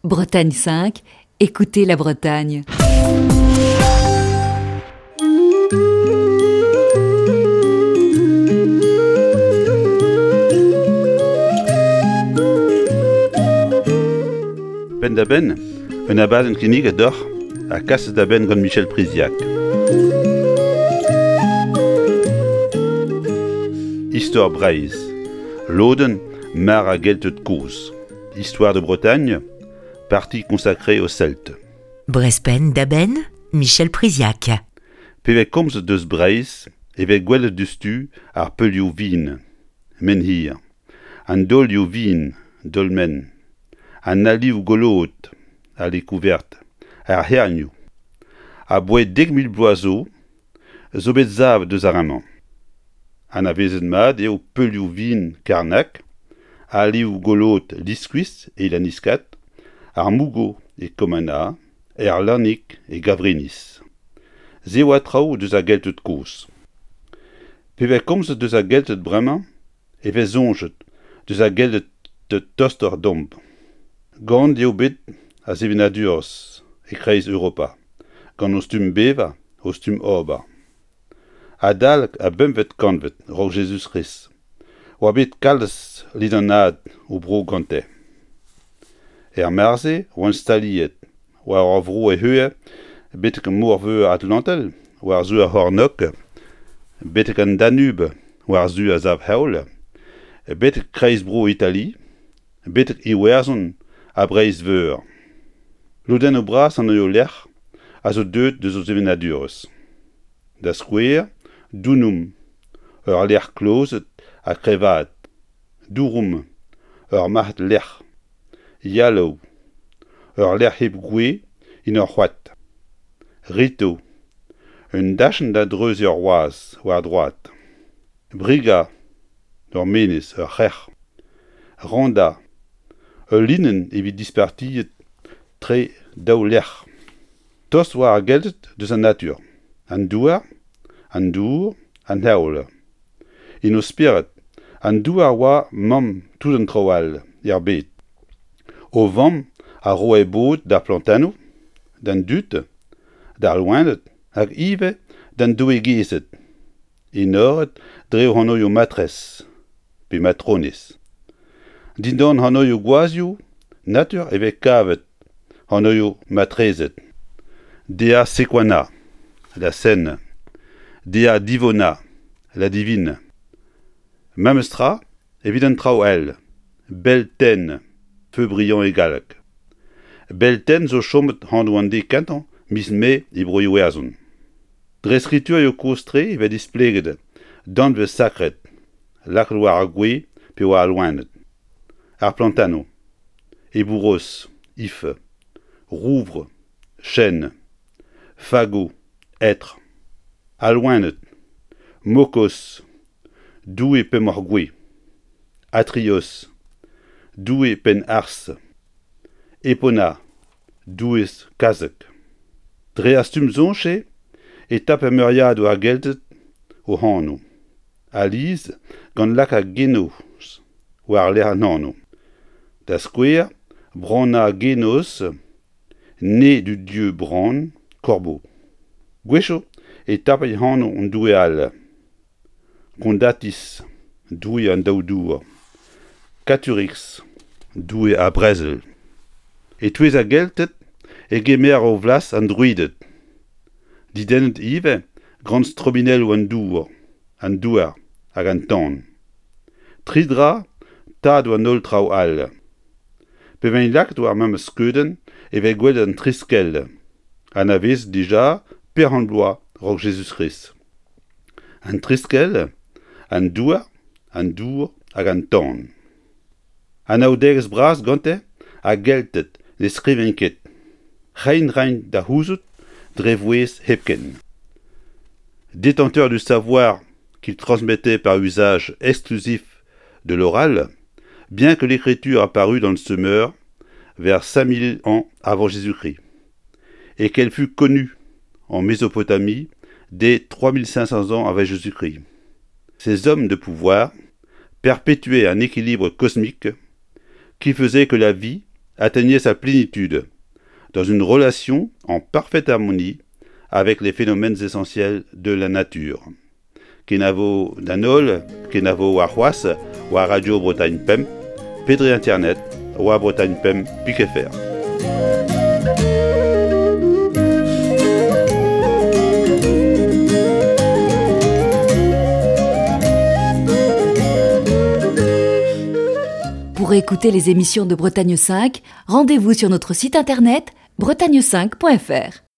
Bretagne 5, écoutez la Bretagne. Penn-da-benn, un abadenn kinniget deoc'h ha kaset da benn gant Michel Priziac. Istor Breizh, lodenn mar a Gelted kozh. Histoire de Bretagne, partie consacrée aux Celtes. Brezhpenn da benn, Michel Priziac. Pe vez komzet deus Breizh e vez gwelet diouzhtu ar peulioù vin, menhir, an daolioù vin, dolmen, an alioù goloet, allées couvertes, ar c'hernioù. Aboae 10,000 bloaz zo, zo bet savet deus ar re-mañ. Anavezet mat eo peulioù vin Karnag, alioù goloet Liskuis e Lanniskad, ar Mougo e Kommanna, er Lannig e Gavrinis. Se oa traoù deus ar Gelted kozh. Pe vez komzet deus ar Gelted bremañ e vez soñjet deus ar Gelted tostoc'h deomp. Gant eo bet a sevenadurezh e-kreiz Europa, gant o stumm bevañ, o stumm ober. Adalek ar bempvet kantved a-raok Jezuz-Krist oa bet kalz ledanaat o bro gante. Er mare-se oant staliet war ur vro e-c'hwec'h betek Mor-Veur Atlantel war-zu ar c'hornôg, betek an Danube war-zu ar sav-heol, betek kreiz-bro Itali, betek Iwerzhon ha Breizh-Veur. Lodennoù bras an lec'h a zo deuet deus o sevenadurezh. Da skouer, Dunum, ur lec'h klozet ha kreñvaet, Dourum, ur marc'had-lec'h, Yallow, ur lec'h hep gwez en ur c'hoad, Rito, un dachenn da dreuziñ ur wazh war droad, Briga, ur menez, ur c'hrec'h, Randa, ul linenn evit dispartiet tre daou lec'h. Tost oa ar Gelted deus an natur, an douar, an dour, an heol. En o spered, an douar oa mamm tout an traoù all er bed. O vamm a roe bod d'ar plantennoù, d'an dud, d'ar loened hag ivez d'an doueegezed, enoret dre o anvioù matrez pe matronez. Dindan anvioù gwazhioù natur e vez kavet anvioù matrezed. Dea Sequana, la Seine, Dea Divona, la Divine. Memes tra evit an traoù all, Beltaine, feu brillant e galleg. Beltaine zo chomet anv an deiz kentañ miz Mae e Bro-Iwerzhon. Dre skriturioù kozh-tre e vez displeget danvez sakret lakaet war ar gwez pe war al loened. Ar plantennoù, Ebouros, if, rouvr, chêne, fagot, hêtre. Al loened, Mokos, doue pemoc'h-gouez, Atrios, doue penn-arzh, Epona, doueez kazeg. Dre ar stumm-soñj-se e tape meuriadoù ar Gelted o anv, alies gant lakaat genos war-lerc'h an anv. Da skouer, Branagenos, né du dieu Bran, corbeau. Gwechoù e tape anv un doue all, Condatis, doue an daou dour, Caturix, doue ar brezel. E-touez ar Gelted e gemer o flas an Druided. Didennet ivez gant strobinelloù an dour, an douar hag an tan. Tri dra tadoù an holl traoù all. Pe vent lakaet war memes skeudenn e vez gwelet an triskell, anavezet dija peoc'h bloaz a-raok Jezuz-Krist. An triskell, an douar, an dour hag an tan. Anaoudegezh bras gante ar Gelted ne skrivent ket. Reiñ 'raint da c'houzout dre vouezh hepken. Détenteur du savoir qu'il transmettait par usage exclusif de l'oral, bien que l'écriture apparût dans le Sumer vers 5000 ans avant Jésus-Christ et qu'elle fut connue en Mésopotamie dès 3500 ans avant Jésus-Christ. Ces hommes de pouvoir perpétuaient un équilibre cosmique qui faisait que la vie atteignait sa plénitude dans une relation en parfaite harmonie avec les phénomènes essentiels de la nature. Kenavo d'an holl, kenavo warc'hoazh war Radio Bretagne Pemp, pe dre internet war Bretagne Pemp pik fr. Pour écouter les émissions de Bretagne 5, rendez-vous sur notre site internet bretagne5.fr.